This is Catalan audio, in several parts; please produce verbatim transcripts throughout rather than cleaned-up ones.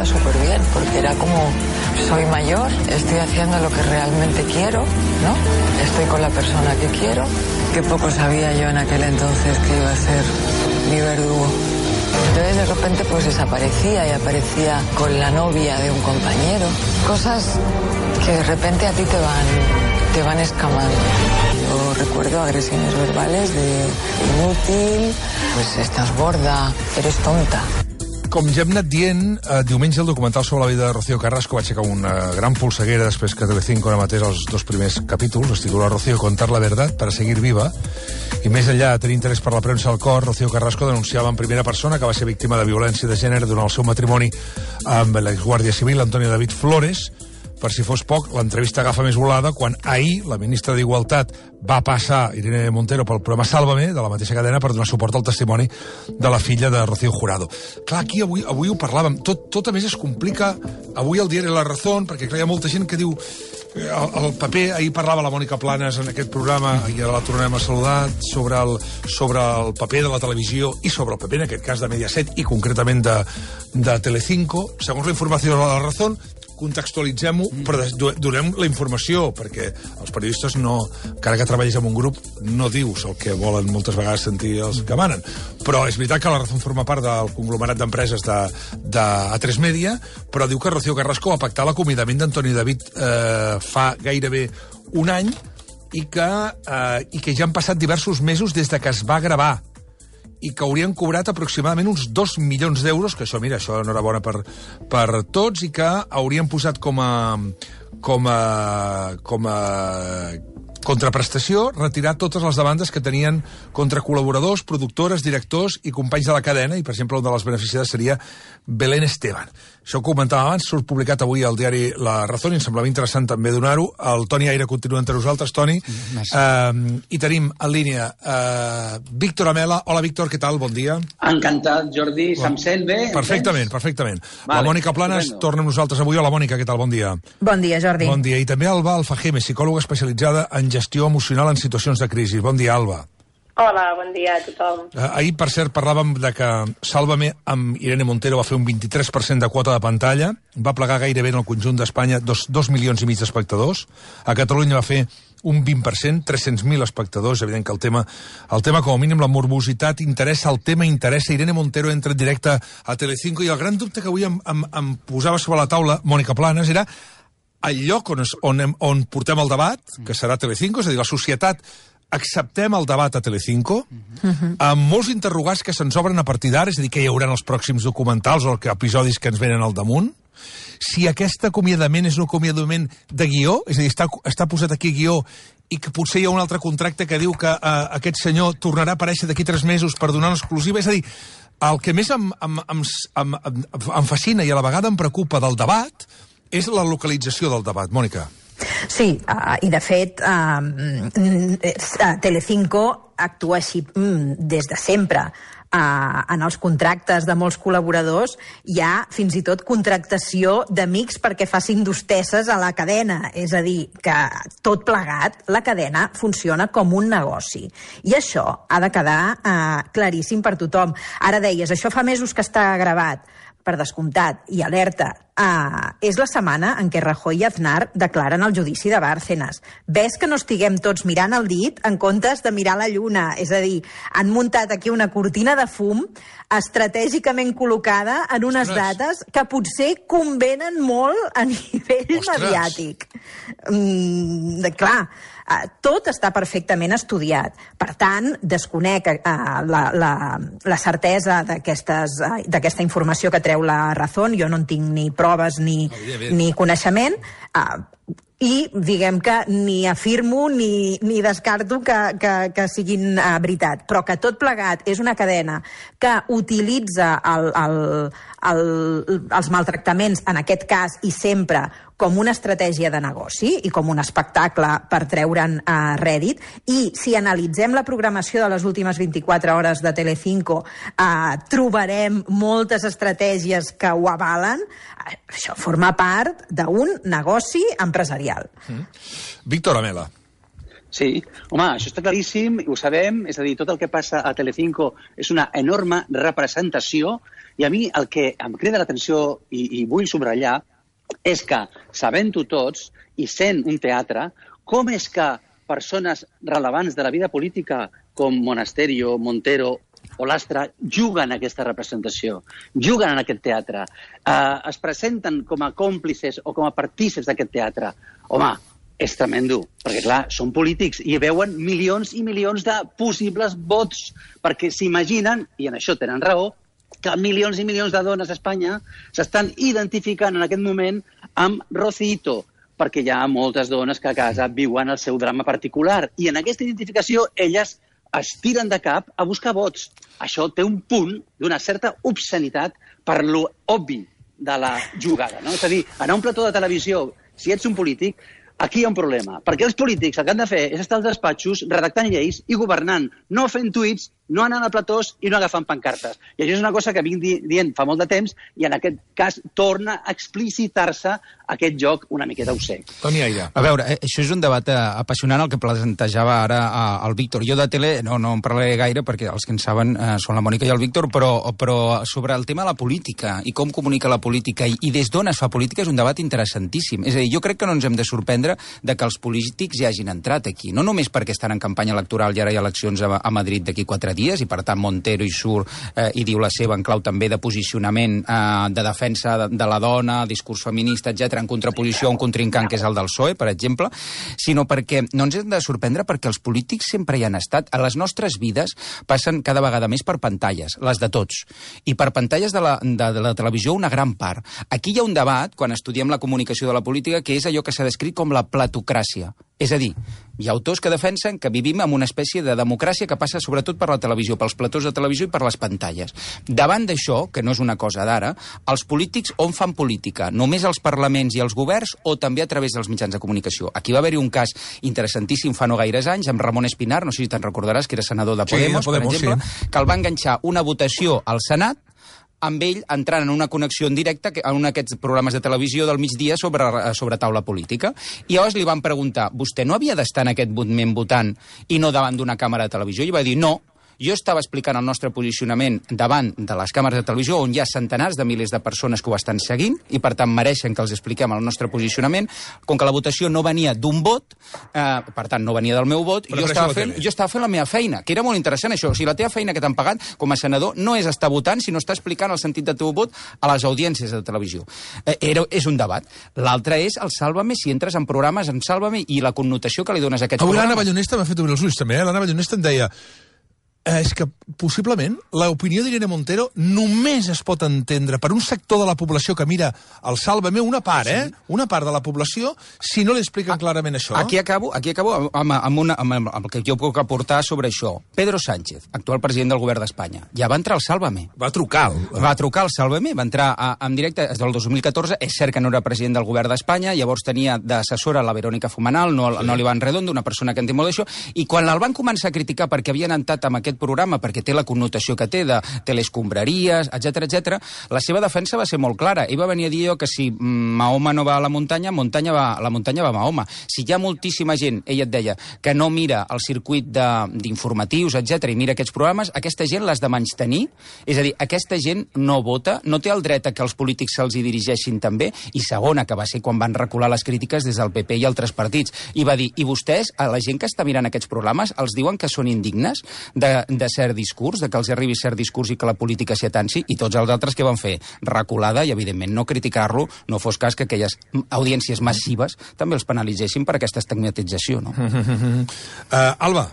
estaba súper bien, porque era como, soy mayor, estoy haciendo lo que realmente quiero, ¿no? Estoy con la persona que quiero, que poco sabía yo en aquel entonces que iba a ser mi verdugo. Entonces de repente pues desaparecía y aparecía con la novia de un compañero. Cosas que de repente a ti te van, te van escamando. Yo recuerdo agresiones verbales de inútil, pues estás gorda, eres tonta. Com ja hem anat dient, eh, diumenge el documental sobre la vida de Rocío Carrasco va aixecar una gran polseguera després que Telecinco emetés els dos primers capítols. Es titula Rocío contar la verdad para seguir viva. I més enllà de tenir interès per la premsa al cor, Rocío Carrasco denunciava en primera persona que va ser víctima de violència de gènere durant el seu matrimoni amb l'exguàrdia civil Antonio David Flores. Per si fos poc, l'entrevista agafa més volada quan ahir la ministra d'Igualtat va passar Irene Montero pel programa Sálvame, de la mateixa cadena, per donar suport al testimoni de la filla de Rocío Jurado. Clar, aquí avui, avui ho parlàvem. Tot, tot a més es complica avui al diari La Razón, perquè clar, hi ha molta gent que diu el, el paper, ahir parlava la Mònica Planes en aquest programa, i ara la tornem a saludar, sobre el, sobre el paper de la televisió i sobre el paper, en aquest cas, de Mediaset i concretament de, de Telecinco. Segons la informació de La Razón, contextualitzem-ho, però donem la informació, perquè els periodistes no, encara que treballis en un grup, no dius el que volen moltes vegades sentir els que manen. Però és veritat que La Razón forma part del conglomerat d'empreses de, de A tres Media, però diu que Rocío Carrasco va pactar l'acomiadament d'Antoni David eh, fa gairebé un any i que, eh, i que ja han passat diversos mesos des de que es va gravar i que haurien cobrat aproximadament uns dos milions d'euros, que això, mira, això enhorabona per, per tots, i que haurien posat com a, com a, com a contraprestació retirar totes les demandes que tenien contra col·laboradors, productores, directors i companys de la cadena, i, per exemple, una de les beneficiades seria Belén Esteban. Això ho comentava abans, surt publicat avui al diari La Razón, i em semblava interessant també donar-ho. El Toni Aire continua entre nosaltres, Toni. Uh, I tenim en línia uh, Víctor Amela. Hola, Víctor, què tal? Bon dia. Encantat, Jordi. Bon. Se'm sent bé? Perfectament, perfectament. Vale, la Mònica Planes estupendo. Torna amb nosaltres avui. Hola, Mònica, què tal? Bon dia. Bon dia, Jordi. Bon dia. I també Alba Alfajeme, psicòloga especialitzada en gestió emocional en situacions de crisi. Bon dia, Alba. Hola, bon dia a tothom. Eh, ahir, per cert, parlàvem de que Sálvame amb Irene Montero va fer un vint-i-tres per cent de quota de pantalla, va plegar gairebé en el conjunt d'Espanya dos, dos milions i mig d'espectadors, a Catalunya va fer un vint per cent, tres-cents mil espectadors. És evident que el tema, el tema, com a mínim, la morbositat interessa, el tema interessa. Irene Montero entra en directe a Telecinco, i el gran dubte que avui em, em, em posava sobre la taula Mònica Planes era el lloc on, es, on, on portem el debat, que serà Telecinco, és a dir, la societat acceptem el debat a Telecinco, uh-huh. amb molts interrogants que se'ns obren a partir d'ara, és a dir, que hi haurà els pròxims documentals o episodis que ens venen al damunt, si aquest acomiadament és un acomiadament de guió, és a dir, està, està posat aquí guió, i que potser hi ha un altre contracte que diu que uh, aquest senyor tornarà a aparèixer d'aquí tres mesos per donar una exclusiva, és a dir, el que més em, em, em, em, em, em fascina i a la vegada em preocupa del debat és la localització del debat. Mònica. Sí, uh, i de fet uh, uh, Telecinco actua així um, des de sempre. Uh, en els contractes de molts col·laboradors hi ha fins i tot contractació d'amics perquè facin d'hostesses a la cadena, és a dir, que tot plegat la cadena funciona com un negoci, i això ha de quedar uh, claríssim per tothom. Ara deies, això fa mesos que està gravat, per descomptat, i alerta, uh, és la setmana en què Rajoy i Aznar declaren el judici de Bárcenas. Ves que no estiguem tots mirant el dit en comptes de mirar la lluna, és a dir, han muntat aquí una cortina de fum estratègicament col·locada en unes Ostres. dates que potser convenen molt a nivell Ostres. mediàtic. Mm, de, clar, uh, tot està perfectament estudiat. Per tant, desconec uh, la, la, la certesa d'aquestes, uh, d'aquesta informació que treu la Razón. Jo no en tinc ni proves ni, oh, ni coneixement. Uh, I diguem que ni afirmo ni, ni descarto que, que, que siguin uh, veritat, però que tot plegat és una cadena que utilitza el, el, el, els maltractaments, en aquest cas i sempre, com una estratègia de negoci i com un espectacle per treure'n uh, rèdit. I si analitzem la programació de les últimes vint-i-quatre hores de Telecinco, uh, trobarem moltes estratègies que ho avalen. Uh, això forma part d'un negoci empresarial. Mm. Víctor Amela. Sí, home, això està claríssim, ho sabem, és a dir, tot el que passa a Telecinco és una enorme representació i a mi el que em crida l'atenció i, i vull subratllar és que, sabent-ho tots i sent un teatre, com és que persones rellevants de la vida política com Monasterio, Montero o Lastra juguen aquesta representació, juguen en aquest teatre, eh, es presenten com a còmplices o com a partíceps d'aquest teatre. Home, és tremendo, perquè clar, són polítics i veuen milions i milions de possibles vots, perquè s'imaginen, i en això tenen raó, que milions i milions de dones a Espanya s'estan identificant en aquest moment amb Rocito, perquè hi ha moltes dones que a casa viuen el seu drama particular, i en aquesta identificació elles es tiren de cap a buscar vots. Això té un punt d'una certa obscenitat per lo obvi de la jugada, no? És a dir, anar a un plató de televisió, si ets un polític, aquí hi ha un problema, perquè els polítics el que han de fer és estar als despatxos redactant lleis i governant, no fent tuits, no anant a platós i no agafant pancartes. I això és una cosa que vinc di dient fa molt de temps i en aquest cas torna a explicitar-se aquest joc una miqueta obscè. Toni Aire. A veure, això és un debat apassionant el que plantejava ara el Víctor. Jo de tele no, no en parlaré gaire perquè els que en saben eh, són la Mònica i el Víctor, però, però sobre el tema de la política i com comunica la política i, i des d'on es fa política és un debat interessantíssim. És a dir, jo crec que no ens hem de sorprendre de que els polítics ja hagin entrat aquí. No només perquè estan en campanya electoral i ara hi ha eleccions a, a Madrid d'aquí quatre dies i per tant Montero hi surt eh, i diu la seva en clau també de posicionament eh, de defensa de, de la dona, discurs feminista, etcètera, en contraposició a un contrincant que és el del P S O E, per exemple, sinó perquè no ens hem de sorprendre perquè els polítics sempre hi han estat. A les nostres vides passen cada vegada més per pantalles, les de tots, i per pantalles de la, de, de la televisió una gran part. Aquí hi ha un debat, quan estudiem la comunicació de la política, que és allò que s'ha descrit com la platocràcia. És a dir, hi ha autors que defensen que vivim en una espècie de democràcia que passa sobretot per la televisió, pels platós de televisió i per les pantalles. Davant d'això, que no és una cosa d'ara, els polítics on fan política? Només els parlaments i els governs o també a través dels mitjans de comunicació? Aquí va haver-hi un cas interessantíssim fa no gaires anys amb Ramon Espinar, no sé si te'n recordaràs, que era senador de Podemos, sí, de Podemos, per exemple, sí, que el va enganxar una votació al Senat amb ell entrant en una connexió en directe en un d'aquests programes de televisió del migdia sobre, sobre taula política. I llavors li van preguntar, vostè no havia d'estar en aquest moment votant i no davant d'una càmera de televisió? I va dir, no, jo estava explicant el nostre posicionament davant de les càmeres de televisió on hi ha centenars de milers de persones que ho estan seguint i per tant mereixen que els expliquem el nostre posicionament. Com que la votació no venia d'un vot, eh, per tant no venia del meu vot, jo estava, fent, jo estava fent la meva feina, que era molt interessant això. O sigui, la teva feina que t'han pagat com a senador no és estar votant, sinó estar explicant el sentit del teu vot a les audiències de televisió. Eh, era, és un debat. L'altre és el Sálvame, si entres en programes en Sálvame i la connotació que li dones a aquests Avui programes. l'Anna Ballonesta m'ha fet obrir els ulls també, eh? L'Anna Ballonesta em deia Eh, és que, possiblement, l'opinió d'Irene Montero només es pot entendre per un sector de la població que mira el Sálvame, una part, sí. eh? Una part de la població, si no li expliquen a, clarament això. Aquí acabo, aquí acabo amb, amb, una, amb, amb el que jo puc aportar sobre això. Pedro Sánchez, actual president del govern d'Espanya, ja va entrar al Sálvame. Va trucar. El... Va trucar al Sálvame, va entrar a, en directe des del dos mil catorze. És cert que no era president del govern d'Espanya, llavors tenia d'assessora la Verònica Fumanal, no, sí. no l'Ivan Redondo, una persona que en té molt d'això, i quan el van començar a criticar perquè havien entrat amb aquest programa, perquè té la connotació que té de telescombraries, etcètera, etcètera, la seva defensa va ser molt clara. Ell va venir a dir que si Mahoma no va a la muntanya, muntanya va, la muntanya va a Mahoma. Si hi ha moltíssima gent, ella et deia, que no mira el circuit d'informatius, etcètera, i mira aquests programes, aquesta gent l'has de menystenir. És a dir, aquesta gent no vota, no té el dret a que els polítics se'ls hi dirigeixin també, i segona, que va ser quan van recular les crítiques des del P P i altres partits. I va dir, i vostès, a la gent que està mirant aquests programes, els diuen que són indignes de, de cert discurs, de que els arribi cert discurs i que la política s'hi atansi, i tots els altres que van fer reculada i, evidentment, no criticar-lo, no fos cas que aquelles audiències massives també els penalitzessin per aquesta estigmatització, no? uh, Alba.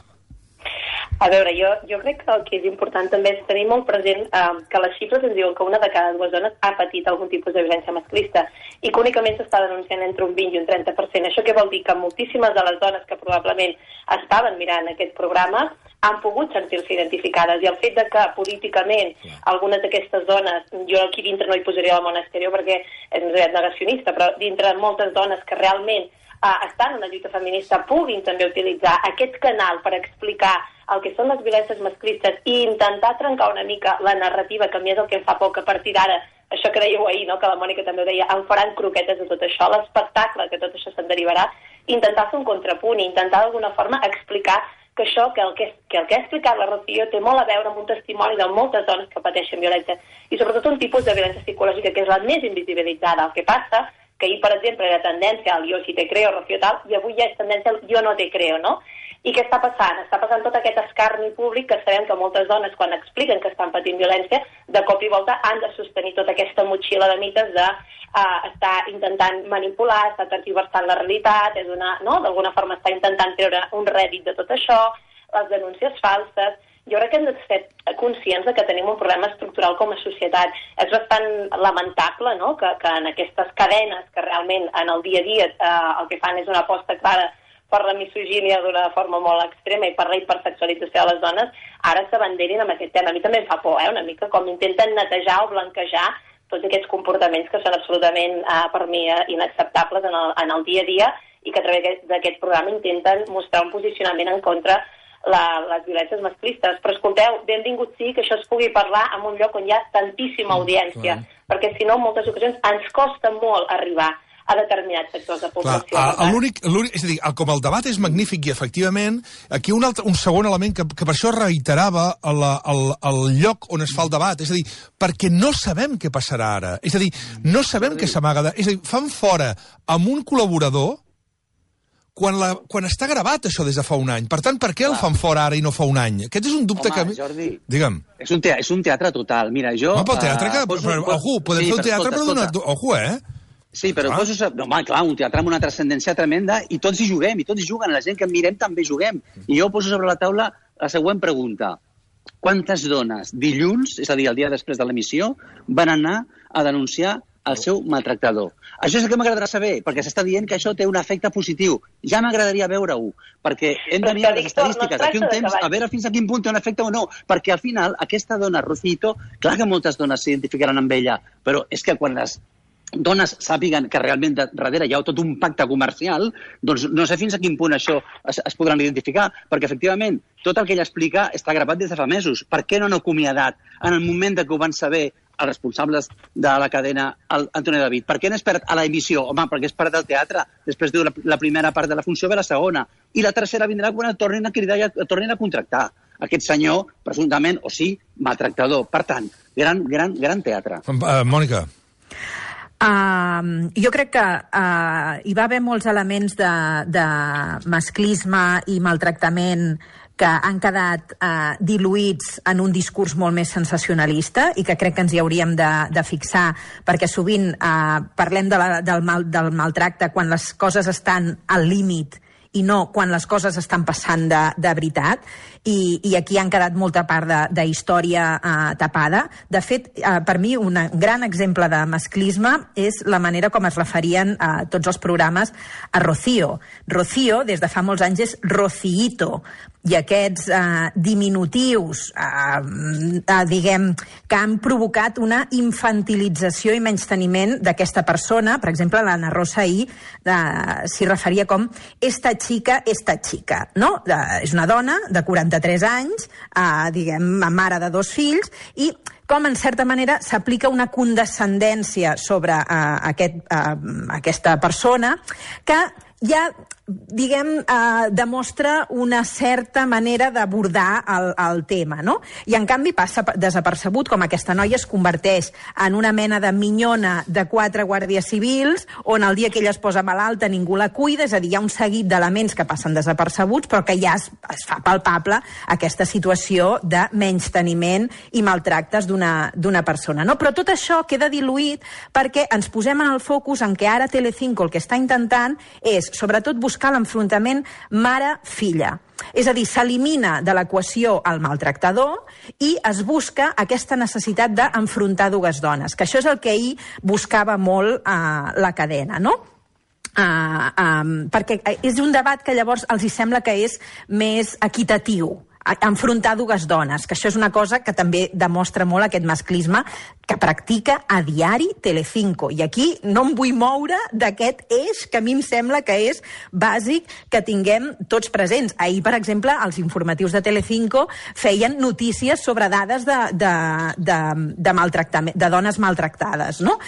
A veure, jo, jo crec que el que és important també és tenir molt present eh, que les xifres ens diuen que una de cada dues dones ha patit algun tipus de violència masclista i que únicament s'està denunciant entre un vint i un trenta per cent. Això què vol dir? Que moltíssimes de les dones que probablement estaven mirant aquest programa han pogut sentir-se identificades, i el fet de que políticament algunes d'aquestes dones, jo aquí dintre no hi posaria la Monasterio perquè és negacionista, però dintre moltes dones que realment eh, estan en la lluita feminista puguin també utilitzar aquest canal per explicar el que són les violències masclistes i intentar trencar una mica la narrativa, que a mi és el que em fa por, que a partir d'ara, això que dèieu ahir, no? Que la Mònica també ho deia, em faran croquetes de tot això, l'espectacle que tot això se'n derivarà. intentar fer un contrapunt i intentar d'alguna forma explicar que això, que el que, que el que ha explicat la Rocío té molt a veure amb un testimoni de moltes dones que pateixen violència i sobretot un tipus de violència psicològica que és la més invisibilitzada. El que passa que ahir, per exemple, era tendència al jo sí te creo, Rocío tal, i avui ja és tendència al jo no te creo, no? I què està passant? Està passant tot aquest escarni públic que sabem que moltes dones, quan expliquen que estan patint violència, de cop i volta han de sostenir tota aquesta motxilla de mites de uh, estar intentant manipular, estar tergiversant la realitat, és una, no? D'alguna forma està intentant treure un rèdit de tot això, les denúncies falses. Jo crec que hem de ser conscients de que tenim un problema estructural com a societat. És bastant lamentable, no?, que, que en aquestes cadenes que realment en el dia a dia eh, el que fan és una aposta clara per la misogínia d'una forma molt extrema i per la hipersexualització de les dones, ara s'abanderin amb aquest tema. A mi també em fa por, eh, una mica, com intenten netejar o blanquejar tots aquests comportaments que són absolutament, eh, per mi, eh, inacceptables en el, en el dia a dia i que a través d'aquest programa intenten mostrar un posicionament en contra la, les violències masclistes. Però escolteu, benvingut sí que això es pugui parlar en un lloc on hi ha tantíssima audiència, mm, perquè si no, en moltes ocasions ens costa molt arribar a determinats sectors de població. Clar, l'únic, l'únic, és a dir, com el debat és magnífic i, efectivament, aquí un, altre, un segon element que, que per això reiterava el, el, el lloc on es fa el debat, és a dir, perquè no sabem què passarà ara. És a dir, no sabem què s'amaga. És a dir, fan fora amb un col·laborador quan, la, quan està gravat això des de fa un any. Per tant, per què el fan fora ara i no fa un any? Aquest és un dubte Home, que... Jordi, digue'm. És un, teatre, és un teatre total. Mira, jo... No, pel teatre que... Uh, poso, però, poso, ojo, podem sí, fer un teatre escolta, per donar... escolta. Ojo, eh? Sí, però ah. poso, no, home, clar, un teatre amb una transcendència tremenda i tots hi juguem, i tots hi juguen, la gent que mirem també juguem. I jo poso sobre la taula la següent pregunta. Quantes dones dilluns, és a dir, el dia després de l'emissió, van anar a denunciar el seu maltractador? Això és el que m'agradarà saber, perquè s'està dient que això té un efecte positiu. Ja m'agradaria veure-ho, perquè hem de mirar les estadístiques d'aquí un temps, a veure fins a quin punt té un efecte o no, perquè al final aquesta dona, Rocito, clar que moltes dones s'identificaran amb ella, però és que quan les dones sàpiguen que realment darrere hi ha tot un pacte comercial, doncs no sé fins a quin punt això es, es podran identificar, perquè efectivament tot el que ella explica està gravat des de fa mesos. Per què no han acomiadat en el moment de que ho van saber els responsables de la cadena, Antonio David? Per què han esperat a l'emissió? Home, perquè és parat al teatre. Després diu la, la primera part de la funció ve la segona. I la tercera vindrà quan el tornin a cridar i el tornin a contractar. Aquest senyor, presumptament, o sí, maltractador. Per tant, gran, gran, gran teatre. Uh, Mònica. Uh, jo crec que uh, hi va haver molts elements de, de masclisme i maltractament que han quedat uh, diluïts en un discurs molt més sensacionalista i que crec que ens hi hauríem de, de fixar, perquè sovint uh, parlem de la, del, mal, del maltracte quan les coses estan al límit i no quan les coses estan passant de, de veritat, i, i aquí han quedat molta part de, de història eh, tapada. De fet, eh, per mi, un gran exemple de masclisme és la manera com es referien a eh, tots els programes a Rocío. Rocío, des de fa molts anys, és Rociito, i aquests eh, diminutius, eh, eh, diguem, que han provocat una infantilització i menysteniment d'aquesta persona. Per exemple, l'Anna Rosa ahir eh, s'hi referia com esta chica, esta chica, no? Eh, és una dona de quaranta-tres anys, eh, diguem, mare de dos fills, i com, en certa manera, s'aplica una condescendència sobre eh, aquest, eh, aquesta persona que ja, diguem, eh, demostra una certa manera d'abordar el, el tema, no? I, en canvi, passa desapercebut com aquesta noia es converteix en una mena de minyona de quatre guàrdies civils, on el dia que ella es posa malalta ningú la cuida, és a dir, hi ha un seguit d'elements que passen desapercebuts, però que ja es, es fa palpable aquesta situació de menysteniment i maltractes d'una d'una persona, no? Però tot això queda diluït perquè ens posem en el focus en que ara Telecinco el que està intentant és, sobretot, buscar l'enfrontament mare-filla. És a dir, s'elimina de l'equació el maltractador i es busca aquesta necessitat d'enfrontar dues dones, que això és el que ahir buscava molt eh, la cadena, no? Uh, um, perquè és un debat que llavors els hi sembla que és més equitatiu. enfrontar dues dones, que això és una cosa que també demostra molt aquest masclisme que practica a diari Telecinco. I aquí no em vull moure d'aquest eix que a mi em sembla que és bàsic que tinguem tots presents. Ahir, per exemple, els informatius de Telecinco feien notícies sobre dades de, de, de, de, maltractament, de dones maltractades, no?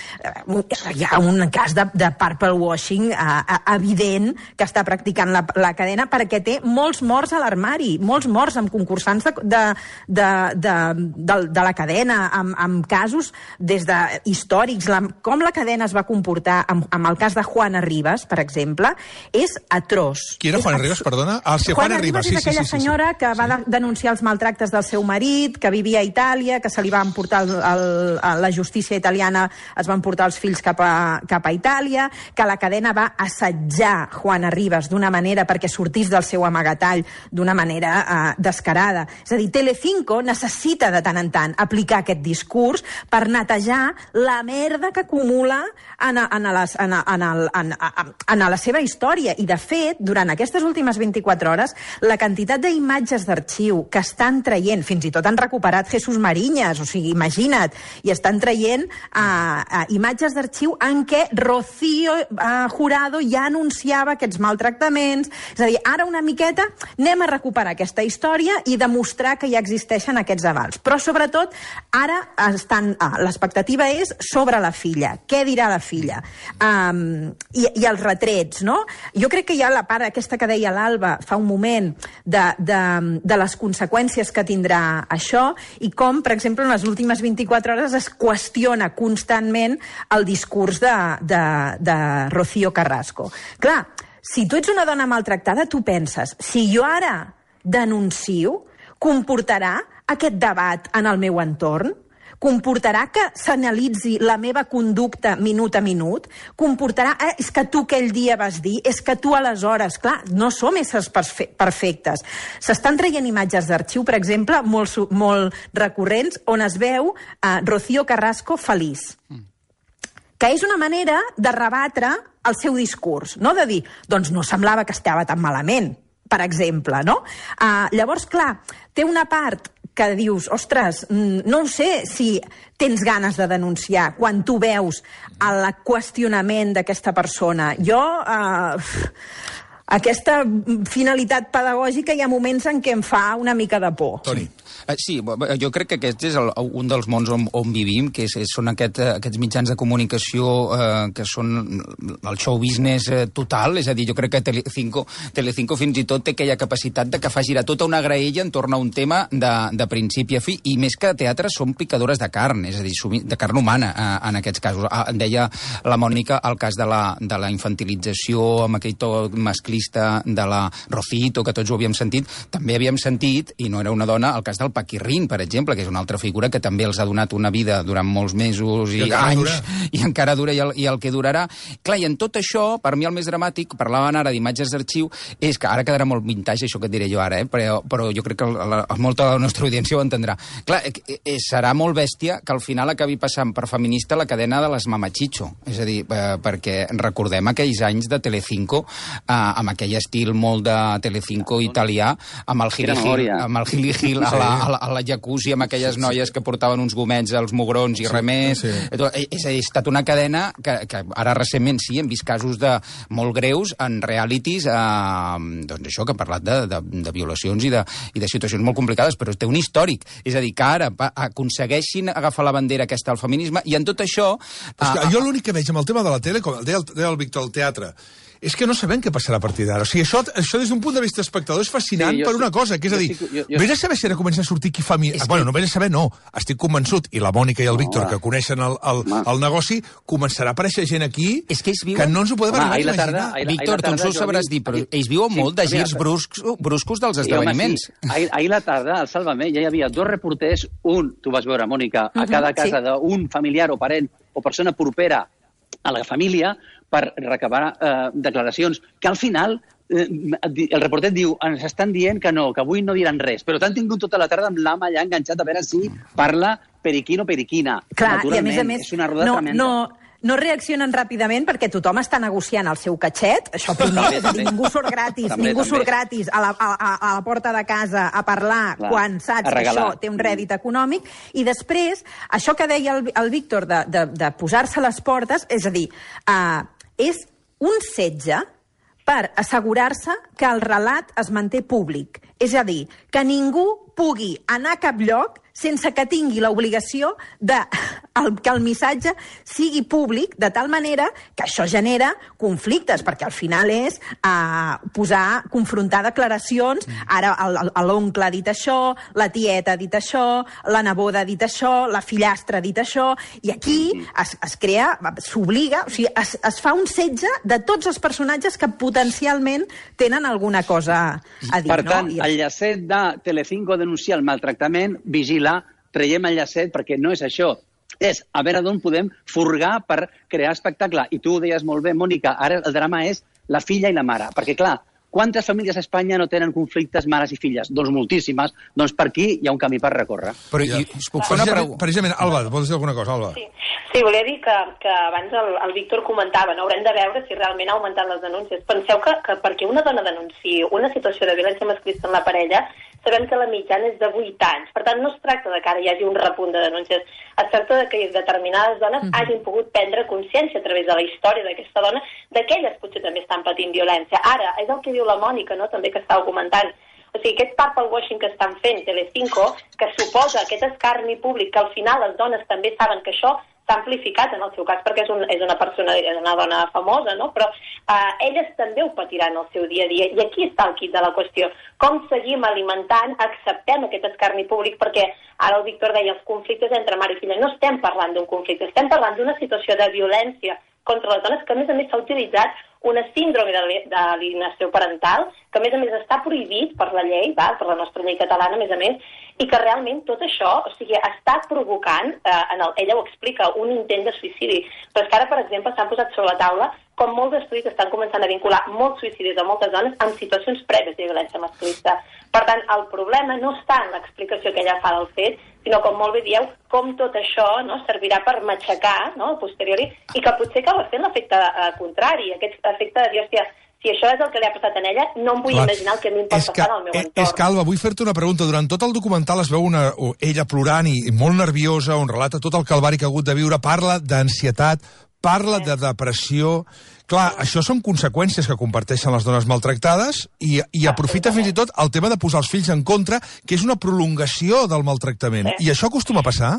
Hi ha un cas de, de purple washing eh, evident que està practicant la, la cadena perquè té molts morts a l'armari, molts morts amb concursants de, de, de, de, de, de la cadena, amb, amb casos des de històrics. La, com la cadena es va comportar amb, amb el cas de Juana Rivas, per exemple, és atroç. Qui era Juana Rivas, perdona? Ah, sí, Juana, Juana Rivas sí, és aquella sí, sí, senyora sí. que va de, denunciar els maltractes del seu marit, que vivia a Itàlia, que se li va emportar el, el, a la justícia italiana, es van portar els fills cap a, cap a Itàlia, que la cadena va assetjar Juana Rivas d'una manera perquè sortís del seu amagatall d'una manera eh, descarada. És a dir, Telecinco necessita de tant en tant aplicar aquest discurs per netejar la merda que acumula en, en, les, en, en, el, en, en la seva història. I, de fet, durant aquestes últimes vint-i-quatre hores, la quantitat d'imatges d'arxiu que estan traient, fins i tot han recuperat Jesús Mariñas, o sigui, imagina't, i estan traient uh, uh, imatges d'arxiu en què Rocío uh, Jurado ja anunciava aquests maltractaments. És a dir, ara una miqueta anem a recuperar aquesta història i demostrar que ja existeixen aquests avals. Però, sobretot, ara estan, ah, l'expectativa és sobre la filla. Què dirà la filla? Um, i, I els retrets, no? Jo crec que hi ha la part aquesta que deia l'Alba fa un moment de, de, de les conseqüències que tindrà això i com, per exemple, en les últimes vint-i-quatre hores es qüestiona constantment el discurs de, de, de Rocío Carrasco. Clar, si tu ets una dona maltractada, tu penses, si jo ara denuncio, comportarà aquest debat en el meu entorn? Comportarà que s'analitzi la meva conducta minut a minut? Comportarà, eh, és que tu aquell dia vas dir, és que tu aleshores, clar, no som éssers perfectes. S'estan traient imatges d'arxiu, per exemple, molt, molt recurrents, on es veu eh, Rocío Carrasco feliç. Mm. Que és una manera de rebatre el seu discurs, no? De dir, doncs no semblava que estava tan malament, per exemple, no? Uh, llavors, clar, té una part que dius, ostres, no ho sé si tens ganes de denunciar quan tu veus el qüestionament d'aquesta persona. Jo, uh, aquesta finalitat pedagògica hi ha moments en què em fa una mica de por. Toni. Sí, jo crec que aquest és el, un dels mons on, on vivim, que és, són aquest, aquests mitjans de comunicació eh, que són el show business eh, total, és a dir, jo crec que Telecinco, Telecinco fins i tot té aquella capacitat de que fa girar tota una graella entorn a un tema de, de principi a fi, i més que teatre són picadores de carn, és a dir, de carn humana eh, en aquests casos. Ah, deia la Mònica el cas de la, de la infantilització amb aquell to masclista de la Rocito, que tots ho havíem sentit, també havíem sentit, i no era una dona, el cas del Paquirrín, per exemple, que és una altra figura que també els ha donat una vida durant molts mesos i, I anys, dura. i encara dura i el, i el que durarà. Clar, i en tot això, per mi el més dramàtic, parlaven ara d'imatges d'arxiu, és que ara quedarà molt vintage, això que et diré jo ara, eh? però, però jo crec que la, la, molta de la nostra audiència ho entendrà. Clar, eh, serà molt bèstia que al final acabi passant per feminista la cadena de les Mamachicho, és a dir, eh, perquè recordem aquells anys de Telecinco, eh, amb aquell estil molt de Telecinco italià, amb el Gili-Gil, amb el Gili-Gil a la a la, a la jacuzzi amb aquelles sí, sí. noies que portaven uns gomets als mugrons i sí, res més. Sí. És a dir, ha estat una cadena que, que ara recentment sí, hem vist casos de molt greus en realities, eh, doncs això, que ha parlat de, de, de violacions i de, i de situacions molt complicades, però té un històric. És a dir, que ara aconsegueixin agafar la bandera aquesta al feminisme, i en tot això... Però és que jo l'únic que veig amb el tema de la tele, com deia el, deia el Víctor, el teatre, és que no sabem què passarà a partir d'ara. O sigui, això, això des d'un punt de vista espectador és fascinant sí, per una cosa, que és a dir, estic, jo, jo... vés a saber si ara comença a sortir qui fa... Mi... Que... Bueno, no vés a saber, no. Estic convençut, i la Mònica i el no, Víctor, va. que coneixen el, el, el negoci, començarà a aparèixer gent aquí és que, viuen... que no ens ho podem Home, arribar a imaginar. Tarda, Víctor, tu ens ho sabràs dir, però ells viuen sí, molt de girs bruscs, bruscos dels esdeveniments. Sí, ahir, ahir la tarda, al Sálvame, ja hi havia dos reporters, un, tu vas veure, Mònica, a uh-huh, cada casa sí. d'un familiar o parent o persona propera a la família, per recabar eh, declaracions, que al final eh, el reporter diu, ens estan dient que no, que avui no diran res, però t'han tingut tota la tarda amb l'ama allà enganxat a veure si parla periquín o periquina. Clar, i a més a més, és una roda no, tremenda. No, no reaccionen ràpidament perquè tothom està negociant el seu catxet, això primer, és a dir, ningú surt gratis, també, ningú també. surt gratis a la, a, a la porta de casa a parlar Clar, quan saps que això té un rèdit econòmic, i després, això que deia el, el Víctor de, de, de posar-se a les portes, és a dir, uh, és un setge per assegurar-se que el relat es manté públic. És a dir, que ningú pugui anar a cap lloc sense que tingui l'obligació de el, que el missatge sigui públic, de tal manera que això genera conflictes, perquè al final és uh, posar, confrontar declaracions, ara l'oncle ha dit això, la tieta ha dit això, la neboda ha dit això, la fillastra ha dit això, i aquí es, es crea, s'obliga, o sigui, es, es fa un setge de tots els personatges que potencialment tenen alguna cosa a dir. Per tant, no? I el llacet de Telecinco denunciar el maltractament, vigila, traiem el llacet perquè no és això. És a veure d'on podem furgar per crear espectacle. I tu ho deies molt bé, Mònica, ara el drama és la filla i la mare. Perquè, clar, quantes famílies a Espanya no tenen conflictes mares i filles? Doncs moltíssimes. Doncs per aquí hi ha un camí per recórrer. Però ja. i, us puc fer una pregunta? Precisament, Alba, vols dir alguna cosa, Alba? Sí, sí volia dir que, que abans el, el Víctor comentava, no haurem de veure si realment ha augmentat les denúncies. Penseu que, que perquè una dona denunciï una situació de violència masclista en la parella, sabem que la mitjana és de vuit anys. Per tant, no es tracta de que ara hi hagi un repunt de denúncies. Es tracta de que determinades dones mm-hmm. hagin pogut prendre consciència a través de la història d'aquesta dona de que elles potser també estan patint violència. Ara, és el que diu la Mònica, no?, també que estava comentant. O sigui, aquest purple washing que estan fent Telecinco, que suposa aquest escarni públic, que al final les dones també saben que això s'ha amplificat en el seu cas, perquè és, un, és una persona, és una dona famosa, no? Però eh, elles també ho patiran el seu dia a dia. I aquí està el quid de la qüestió. Com seguim alimentant, acceptem aquest escarni públic, perquè ara el Víctor deia els conflictes entre mare i filla. No estem parlant d'un conflicte, estem parlant d'una situació de violència contra les dones, que a més a més s'ha utilitzat una síndrome d'alienació parental, que a més a més està prohibit per la llei, va, per la nostra llei catalana, a més a més, i que realment tot això, o sigui, està provocant, eh, en el, ella ho explica, un intent de suïcidi. Però és que ara, per exemple, s'han posat sobre la taula com molts estudis estan començant a vincular molts suïcidis de moltes dones amb situacions prèvies de violència masclista. Per tant, el problema no està en l'explicació que ella fa del fet, sinó, com molt bé dieu, com tot això, no, servirà per matxacar, no, a posteriori, i que potser acaba fent l'efecte eh, contrari, aquest efecte de dir, hòstia, si això és el que li ha passat a ella, no em vull Clar, imaginar el que a mi em pot passar al meu entorn. És que, Alba, vull fer-te una pregunta. Durant tot el documental es veu una, ella plorant i, i molt nerviosa, on relata tot el calvari que ha hagut de viure, parla d'ansietat, parla sí. de depressió. Clar, això són conseqüències que comparteixen les dones maltractades i, i aprofita fins i tot el tema de posar els fills en contra, que és una prolongació del maltractament. Sí. I això acostuma a passar?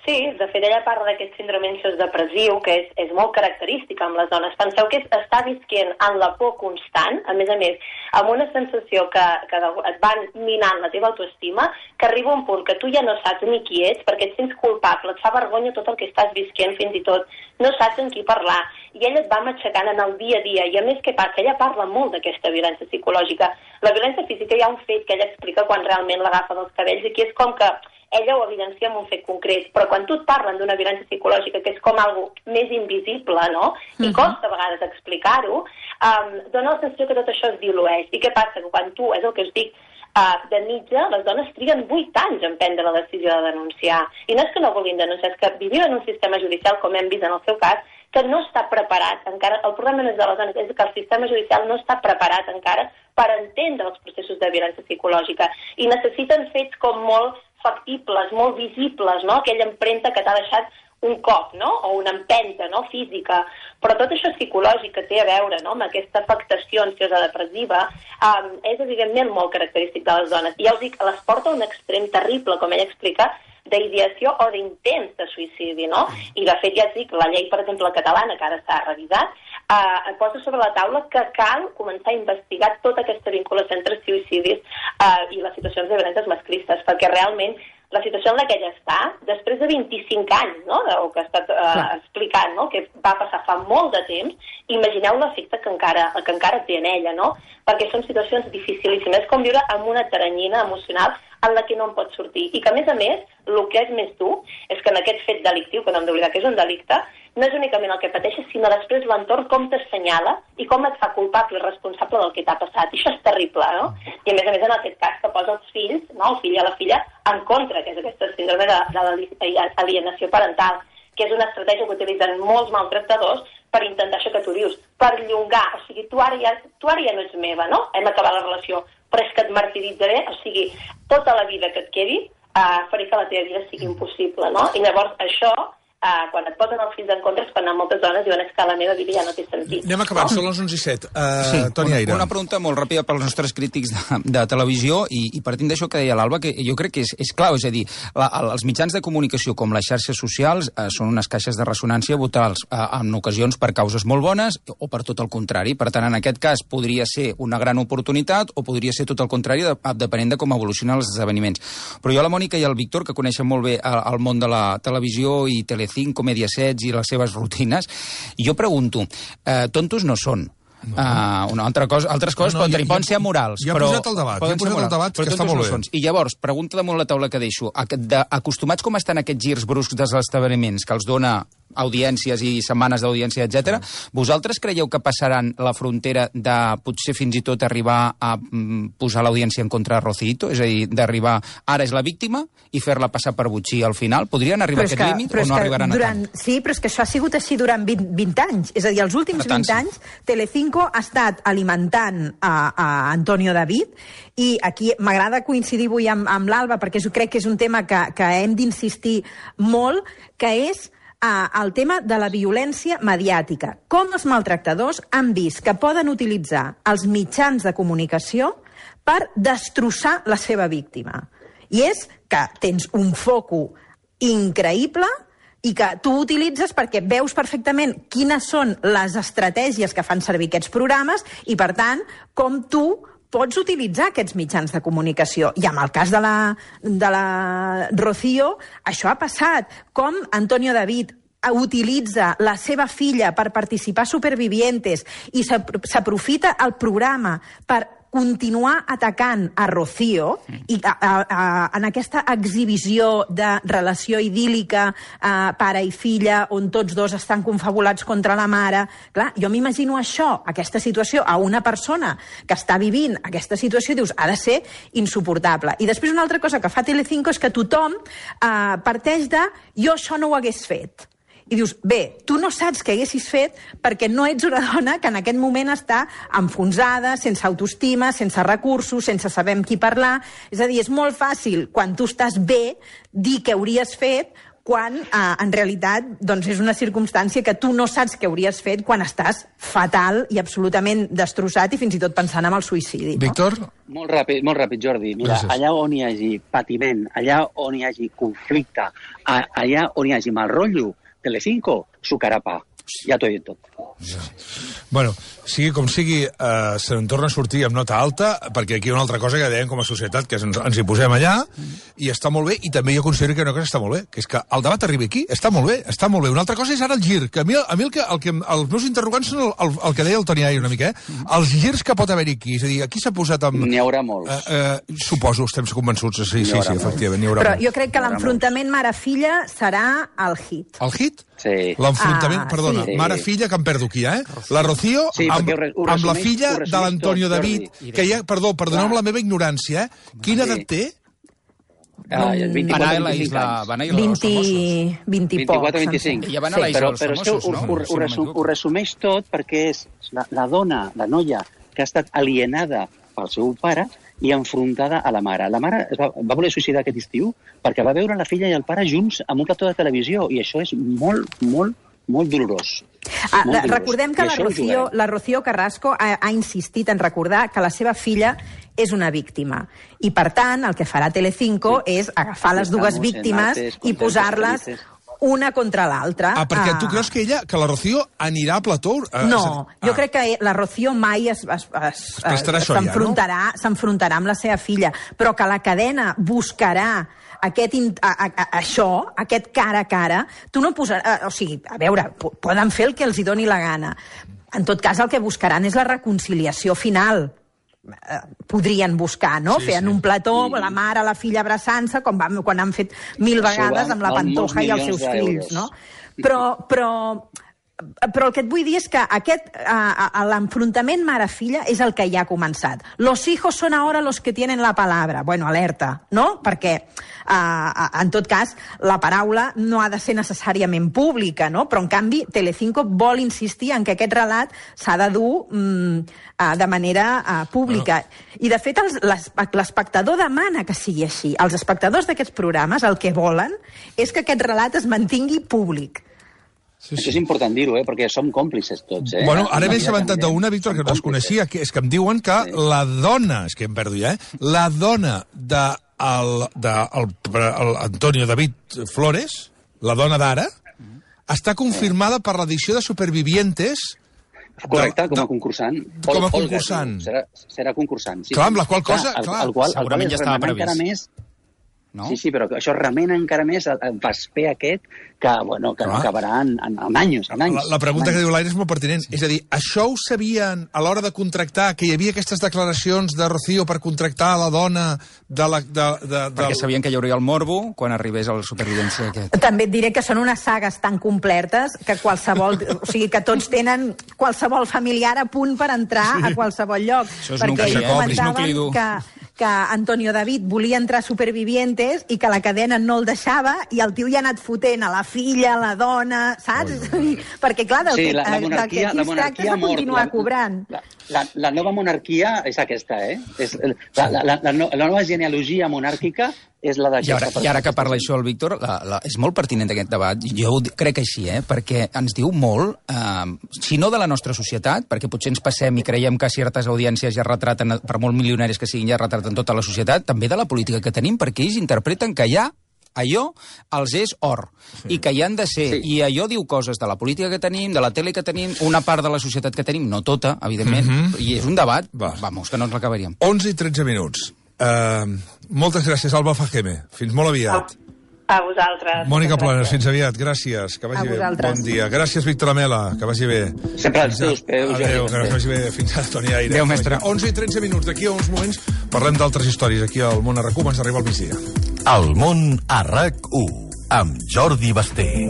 Sí, de fet ella parla d'aquest síndrome ansiós depressiu, que és, és molt característic amb les dones. Penseu que és, està visquent en la por constant, a més a més, amb una sensació que, que et van minant la teva autoestima, que arriba un punt que tu ja no saps ni qui ets, perquè et sents culpable, et fa vergonya tot el que estàs visquent, fins i tot no saps amb qui parlar, i ella et va matxacant en el dia a dia, i a més què passa? Ella parla molt d'aquesta violència psicològica. La violència física hi ha un fet que ella explica quan realment l'agafa dels cabells, i que és com que ella ho evidencia amb un fet concret, però quan tu et parlen d'una violència psicològica, que és com algo més invisible, no?, i uh-huh. costa a vegades explicar-ho, um, dona la sensació que tot això es dilueix. I què passa? Que quan tu, és el que us dic, uh, de mitja, les dones triguen vuit anys en prendre la decisió de denunciar. I no és que no vulguin denunciar, és que vivim en un sistema judicial, com hem vist en el seu cas, que no està preparat encara, el problema no és de les dones, és que el sistema judicial no està preparat encara per entendre els processos de violència psicològica. I necessiten fets com molt factibles, molt visibles, no?, aquella empremta que t'ha deixat un cop, no?, o una empenta, no?, física. Però tot això psicològic que té a veure, no?, amb aquesta afectació ansiosa depressiva, um, és evidentment molt característic de les dones. I ja us dic, les porta a un extrem terrible, com ella explica, d'ideació o d'intents de suïcidi, no? I de fet, ja et dic, la llei, per exemple, catalana, que ara s'ha revisat, eh, posa sobre la taula que cal començar a investigar tota aquesta vinculació entre suïcidis eh, i les situacions de violències masclistes, perquè realment la situació en la que ella està, després de vint-i-cinc anys, no?, del que ha estat eh, explicant, no?, que va passar fa molt de temps, imagineu l'efecte que encara, que encara té en ella, no?, perquè són situacions dificilíssimes, com viure amb una teranyina emocional en la que no en pot sortir. I que, a més a més, el que és més dur és que en aquest fet delictiu, que no hem d'oblidar que és un delicte, no és únicament el que pateixes, sinó després l'entorn com t'assenyala i com et fa culpable i responsable del que t'ha passat. I això és terrible, no? I a més a més, en aquest cas, que posa els fills, no?, el fill i la filla, en contra, que és aquesta síndrome de, de l'alienació parental. que és una estratègia que utilitzen molts maltractadors per intentar això que tu dius, per llongar, o sigui, tu ara ja, tu ara ja no ets meva, no? Hem acabat la relació, però és que et martiritzaré, o sigui, tota la vida que et quedi uh, faré que la teva vida sigui impossible, no? I llavors això, uh, quan et posen els fills en contra, és quan moltes dones diuen que la meva vida ja no té sentit. Anem acabant, no? Són les onze i set. Uh, sí, Toni Aire. Una, una pregunta molt ràpida pels nostres crítics de, de televisió i, i partint d'això que deia l'Alba, que jo crec que és, és clau, és a dir, la, els mitjans de comunicació com les xarxes socials eh, són unes caixes de ressonància brutals, eh, en ocasions per causes molt bones o per tot el contrari. Per tant, en aquest cas podria ser una gran oportunitat o podria ser tot el contrari, de, depenent de com evolucionen els esdeveniments. Però jo, la Mònica i el Víctor, que coneixen molt bé el, el món de la televisió i Telecinco, Mediaset i les seves rutines, jo pregunto, eh, tontos no són. No. Uh, una altra cosa, altres coses no, no, poden, ja, poden ser amorals. Ja he posat el debat, ja he posat el debat, que està molt bé. No I llavors, pregunta damunt la taula que deixo, de, acostumats com estan aquests girs bruscs dels esdeveniments, que els dona audiències i setmanes d'audiència, etcètera. Vosaltres creieu que passaran la frontera de potser fins i tot arribar a mm, posar l'audiència en contra de Rocito? És a dir, d'arribar, ara és la víctima, i fer-la passar per botxí al final? Podrien arribar a aquest que, límit o no arribaran durant, a tant? Sí, però és que això ha sigut així durant vint, vint anys. És a dir, els últims tant, vint anys, Telecinco ha estat alimentant a, a Antonio David, i aquí m'agrada coincidir avui amb, amb l'Alba, perquè crec que és un tema que, que hem d'insistir molt, que és el tema de la violència mediàtica. Com els maltractadors han vist que poden utilitzar els mitjans de comunicació per destrossar la seva víctima. I és que tens un foco increïble i que tu utilitzes perquè veus perfectament quines són les estratègies que fan servir aquests programes i, per tant, com tu pots utilitzar aquests mitjans de comunicació. I amb el cas de la, de la Rocío, això ha passat. Com Antonio David utilitza la seva filla per participar a Supervivientes i s'aprofita el programa per continuar atacant a Rocío i a, a, a, en aquesta exhibició de relació idíl·lica eh, pare i filla on tots dos estan confabulats contra la mare. Clar, jo m'imagino això, aquesta situació, a una persona que està vivint aquesta situació, dius, ha de ser insuportable. I després una altra cosa que fa Telecinco és que tothom eh, parteix de jo això no ho hagués fet. I dius, bé, tu no saps què haguessis fet perquè no ets una dona que en aquest moment està enfonsada, sense autoestima, sense recursos, sense saber amb qui parlar. És a dir, és molt fàcil, quan tu estàs bé, dir què hauries fet, quan eh, en realitat doncs, és una circumstància que tu no saps què hauries fet quan estàs fatal i absolutament destrossat i fins i tot pensant en el suïcidi. No? Víctor? Molt ràpid, molt ràpid, Jordi. Mira, Gràcies. Allà on hi hagi patiment, allà on hi hagi conflicte, allà on hi hagi mal rotllo, Telecinco, su carapa. Ja t'ho he dit tot. Ja. Bueno, sigui com sigui, eh, se'n torna a sortir amb nota alta, perquè aquí hi ha una altra cosa que dèiem com a societat, que ens, ens hi posem allà, i està molt bé, i també jo considero que una cosa està molt bé, que és que el debat arribi aquí, està molt bé, està molt bé. Una altra cosa és ara el gir, que a mi, a mi el que, el que, els meus interrogants són el, el, el que deia el Toni Aire una mica, eh? Els girs que pot haver-hi aquí, és a dir, aquí s'ha posat amb... N'hi haurà molts. Eh, eh, suposo, estem convençuts, sí, sí, sí, efectivament, n'hi haurà Però molts. jo crec que l'enfrontament mare-filla serà el hit. El hit? Sí. L'enfrontament, ah, perdona, sí. mare-filla, que em perdo aquí, eh? La Rocío sí, amb, ho, ho amb la resumeix, filla de l'Antonio tot, David, que ja, perdó, perdoneu la meva ignorància, eh? Quina edat té? Ah, van a la isla, van a ir als famosos. vint i pocs. vint-i-quatre vint-i-cinc. Ja van a la isla però, dels però famosos, ho, no? ho, ho, resum, ho resumeix tot perquè és la, la dona, la noia, que ha estat alienada pel seu pare i enfrontada a la mare. La mare es va, va voler suïcidar aquest estiu perquè va veure la filla i el pare junts amb un plató de televisió, i això és molt, molt, molt dolorós. Ah, molt dolorós. Recordem que la Rocío, la Rocío Carrasco ha, ha insistit en recordar que la seva filla és una víctima. I, per tant, el que farà Telecinco sí. és agafar les dues víctimes i posar-les una contra l'altra. Ah, perquè tu creus que ella, que la Rocío anirà a plató? No, ah. jo crec que la Rocío mai es, es, es, es, s'enfrontarà ja, no? s'enfrontarà amb la seva filla, però que la cadena buscarà aquest, a, a, a, això, aquest cara a cara, tu no posaràs... O sigui, a veure, poden fer el que els hi doni la gana. En tot cas, el que buscaran és la reconciliació final. Podrien buscar, no? Sí, Feien sí. un plató, sí. la mare, la filla abraçant-se, com van, quan han fet mil vegades amb la Pantoja i els seus fills, no? Però, però però el que et vull dir és que aquest, uh, l'enfrontament mare-filla és el que ja ha començat. Los hijos son ahora los que tienen la palabra. Bueno, alerta, no? Perquè, uh, en tot cas, la paraula no ha de ser necessàriament pública, no? Però, en canvi, Telecinco vol insistir en que aquest relat s'ha de dur um, uh, de manera uh, pública. Bueno. I, de fet, l'espectador demana que sigui així. Els espectadors d'aquests programes el que volen és que aquest relat es mantingui públic. Sí, sí. Això és important dir-ho, eh? Perquè som còmplices tots. Eh? Bueno, ara m'he assabentat d'una, Víctor, que no es coneixia, que és que em diuen que sí. la dona, és que em perdo ja, eh? la dona de, el, de el, el Antonio David Flores, la dona d'ara, està confirmada per l'edició de Supervivientes. Correcte, com a concursant. Com a concursant. Serà, serà concursant. Sí, clar, amb la qual cosa... Clar, clar, el, el qual, segurament el qual ja estava previst. Més, no? Sí, sí, però això remena encara més el vesper aquest que, bueno, que no acabarà en, en, en anys, en anys. La, la pregunta anys. que diu l'Aire és molt pertinent. És a dir, això ho sabien a l'hora de contractar, que hi havia aquestes declaracions de Rocío per contractar la dona de la... De, de, de... Perquè sabien que hi hauria el morbo quan arribés el Supervivència aquest. També et diré que són unes sagues tan completes que qualsevol... o sigui, que tots tenen qualsevol familiar a punt per entrar sí. a qualsevol lloc. Això és nucli, eh? És nucli dur. Que, que Antonio David volia entrar a Supervivientes i que la cadena no el deixava i el tio ja ha anat fotent a la filla, a la dona, saps? Oi, perquè, clar, del, sí, que, la, la del que aquí es tracta és de continuar la, cobrant. La, la, la nova monarquia és aquesta, eh? És, la, la, la, la, la nova genealogia monàrquica és la I ara, I ara que parla això el Víctor, la, la, és molt pertinent aquest debat. Jo ho crec així, eh? Perquè ens diu molt, eh, si no de la nostra societat, perquè potser ens passem i creiem que certes audiències ja retraten, per molt milionaris que siguin, ja retraten tota la societat, també de la política que tenim, perquè ells interpreten que ja allò els és or, sí. i que hi han de ser, sí. i allò diu coses de la política que tenim, de la tele que tenim, una part de la societat que tenim, no tota, evidentment, mm -hmm. i és un debat, Va. vamos, que no ens l'acabaríem. onze i tretze minuts. Uh, moltes gràcies, Alba Fajeme. Fins molt aviat. A vosaltres. Mònica Planes, fins aviat. Gràcies. Que vagi bé. Bon dia. Gràcies, Víctor Amela. Que vagi bé. Sempre als teus peus. Adéu, que vagi bé. Fins ara, Toni Aire. Adéu, mestre. onze i tretze minuts. D'aquí a uns moments parlem d'altres històries. Aquí al Món a RAC u ens arriba al migdia. El Món a RAC u amb Jordi Basté.